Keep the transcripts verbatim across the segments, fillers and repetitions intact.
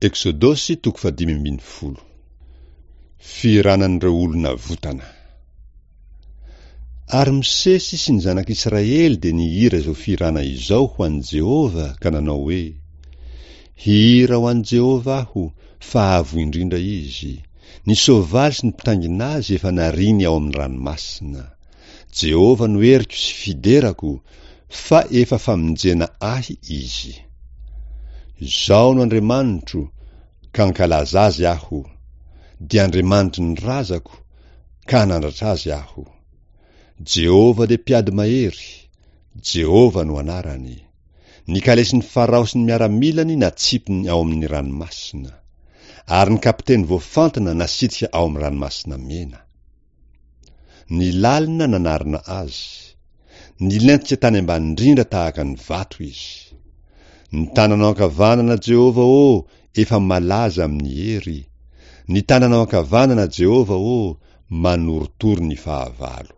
Eksodosy toko fahadimy ambin'ny folo. Fihiranan'ireo olona votana. Ary Mosesy sy ny zanak'Israely dia nihira izao fihirana izao ho an'i Jehovah ka nanao hoe, Hihira ho an'i Jehovah aho, fa avo indrindra izy. Ny soavaly sy ny mpitaingina azy efa nariany ao amin'ny ranomasina. Jehovah no heriko sy fiderako, fa efa famonjena ahy izy. Izao no Andriamanitro, ka hankalaza azy aho, dia Andriamanitry ny razako, ka hanandratra azy aho. Jehovah dia mpiady mahery, Jehovah no anarany. Ny kalesin'i Farao sy ny miaramilany natsipiny ao amin'ny ranomasina, ary ny kapiteny voafantina nasitrika ao amin'ny ranomasina mena. Ny lalina nanarona azy. Nilentika tany ambany indrindra tahaka ny vato izy. Ny tananao ankavanana, Jehovah ô, efa malaza amin'ny hery. Ny tananao ankavanana, Jehovah ô, manorotoro ny fahavalo.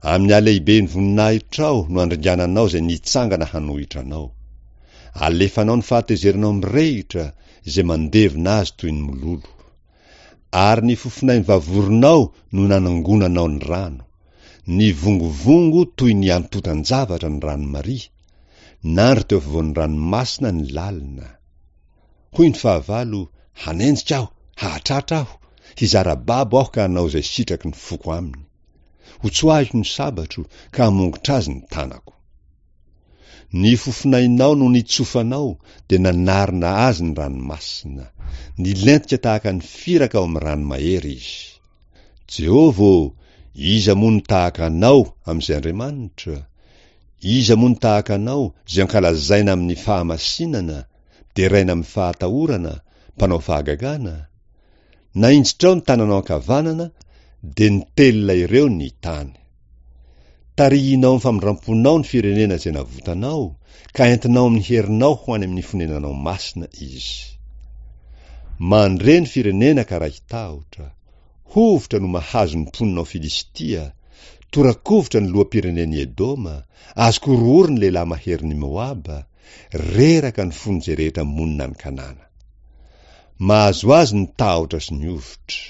Amin'ny halehiben'ny voninahitrao no andringananao izay nitsangana hanohitra anao. Alefanao ny fahatezeranao mirehitra izay mandevona azy toy ny mololo. Ary ny fofonain'ny vavoronao no nanangonanao ny rano. Nivongovongo toy ny antontan-javatra ny rano maria, nandry teo afovoan'ny ranomasina ny lalina. Hoy ny fahavalo, Hanenjika aho, hahatratra aho, hizara babo aho ka hanao izay sitraky ny foko aminy. Hotsoahiko ny sabatro ka hamongotra azy ny tanako. Ny fofonainao no nitsofanao dia nanarona azy ny ranomasina. Nilentika tahaka ny firaka ao amin'ny rano mahery izy. Jehovah ô, iza moa no tahaka Anao amin'izay Andriamanitra? Iza moa no tahaka Anao, izay ankalazaina amin'ny fahamasinana, deraina amin'ny fahatahorana, mpanao fahagagana? Nahinjitrao ny tananao ankavanana, dia nitelina ireo ny tany. Tarihinao amin'ny famindram-ponao ny firenena izay navotanao, ka entinao amin'ny herinao ho any amin'ny fonenanao masina izy. Mandre ny firenena ka raiki-tahotra. Hovitra no mahazo ny mponina ao Filistia, tora-kovitra ny loham-pirenen'i Edoma, azon-korohoro ny lehilahy maherin'i Moaba, reraka ny fon'izay rehetra monina any Kanana. Mahazo azy ny tahotra sy ny hovitra.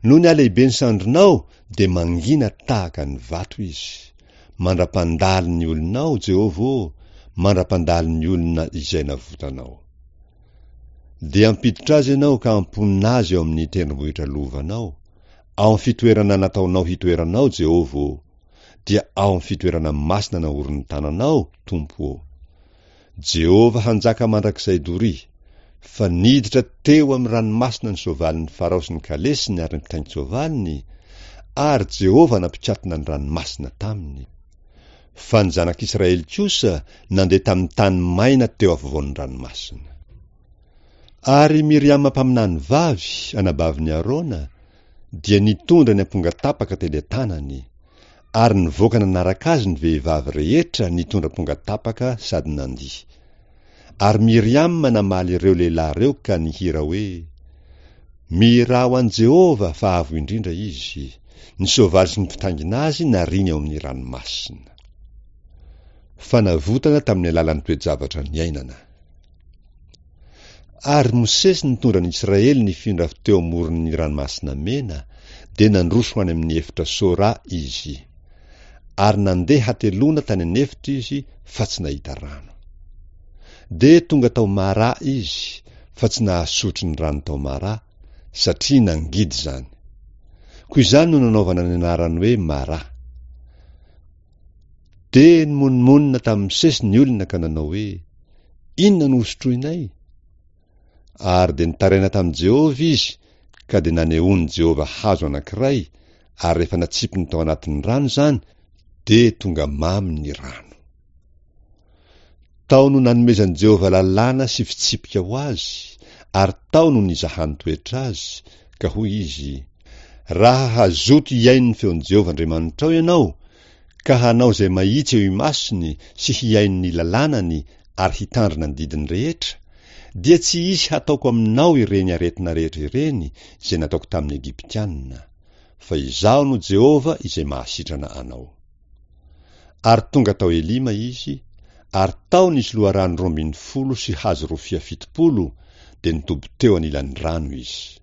Noho ny halehiben'ny sandrinao dia mangina tahaka ny vato izy. Mandra-pandalo ny olonao, Jehovah ô, mandra-pandalo ny olona izay navotanao. Dia hampiditra azy ianao ka hamponina azy eo amin'ny tendrombohitra lovanao, ao amin'ny fitoerana nataonao hitoeranao, Jehovah ô, dia ao amin'ny fitoerana masina naorin'ny tananao, Tompo ô. Jehovah hanjaka mandrakizay doria. Fa niditra teo amin'ny ranomasina ny soavalin'i Farao sy ny kalesiny ary ny mpitaingin-tsoavaliny, ary Jehovah nampikatona ny ranomasina taminy. Fa ny zanak'Israely kosa nandeha tamin'ny tany maina teo afovoan'ny ranomasina. Ary Miriama mpaminany vavy, anabavin'i Arona, dia nitondra ny ampongatapaka teny an-tanany, ary nivoaka nanaraka azy ny vehivavy rehetra nitondra ampongatapaka sady nandihy. Ary Miriama namaly ireo lehilahy ireo ka nihira hoe, Mihirà ho an'i Jehovah, fa avo indrindra izy. Ny soavaly sy ny mpitaingina azy nariany ao amin'ny ranomasina. Fanavotana tamin'ny alalan'ny toe-javatra niainana. Ary Mosesy nitondra ny Israely nifindra avy teo amoron'ny Ranomasina Mena, dia nandroso ho any amin'ny efitra Sora izy. Ary nandeha hateloana tany an'efitra izy, fa tsy nahita rano. Dia tonga tao Mara izy, fa tsy nahasotro ny rano tao Mara, satria nangidy izany. Koa izany no nanaovana ny anarany hoe Mara. Dia nimonomonona tamin'i Mosesy ny olona ka nanao hoe, Inona no hosotroinay? Ary dia nitaraina tamin'i Jehovah izy, ka dia nanehoan'i Jehovah hazo anankiray, ary rehefa natsipiny tao anatin'ny rano izany, dia tonga mamy ny rano. Tao no nanomezan'i Jehovah lalàna sy fitsipika ho azy, ary tao no nizahany toetra azy, ka hoy izy, Raha hazoto hihaino ny feon'i Jehovah Andriamanitrao ianao, ka hanao izay mahitsy eo imasony sy hihaino ny lalànany ary hitandrina ny didiny rehetra, dia tsy hisy hataoko aminao ireny aretina rehetra ireny izay nataoko tamin'ny Egyptiana, fa Izaho no Jehovah izay mahasitrana anao. Ary tonga tao Elima izy, ary tao nisy loharano roa ambin'ny folo sy hazo rofia fitopolo, dia nitoby teo anilan'ny rano izy.